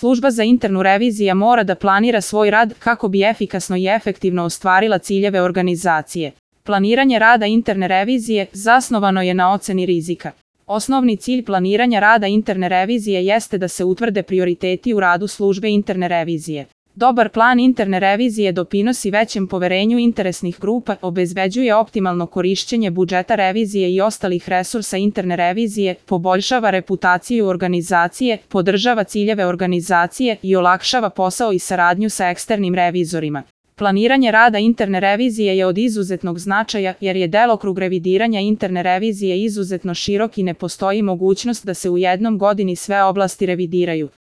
Služba za internu reviziju mora da planira svoj rad kako bi efikasno i efektivno ostvarila ciljeve organizacije. Planiranje rada interne revizije zasnovano je na oceni rizika. Osnovni cilj planiranja rada interne revizije jeste da se utvrde prioriteti u radu službe interne revizije. Dobar plan interne revizije doprinosi većem poverenju interesnih grupa, obezbeđuje optimalno korišćenje budžeta revizije i ostalih resursa interne revizije, poboljšava reputaciju organizacije, podržava ciljeve organizacije i olakšava posao i saradnju sa eksternim revizorima. Planiranje rada interne revizije je od izuzetnog značaja jer je delokrug revidiranja interne revizije izuzetno širok i ne postoji mogućnost da se u jednom godini sve oblasti revidiraju.